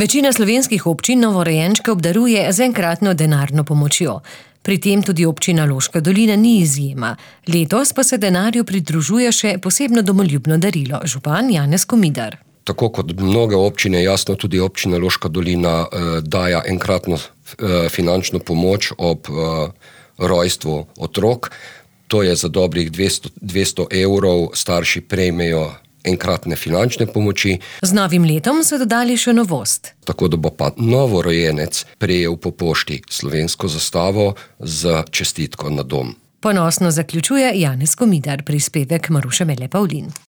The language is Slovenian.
Večina slovenskih občin novorojenčke obdaruje z enkratno denarno pomočjo. Pri tem tudi občina Loška dolina ni izjema. Letos pa se denarju pridružuje še posebno domoljubno darilo. Župan Janez Komidar. Tako kot mnoge občine, jasno tudi občina Loška dolina daje enkratno finančno pomoč ob rojstvu otrok. To je za dobrih 200 evrov, starši prejmejo enkratne finančne pomoči. Z novim letom so dodali še novost. Tako da bo pa novorojenec prejel po pošti slovensko zastavo z čestitko na dom. Ponosno zaključuje Janez Komidar, prispevek Maruše Mele Pavlin.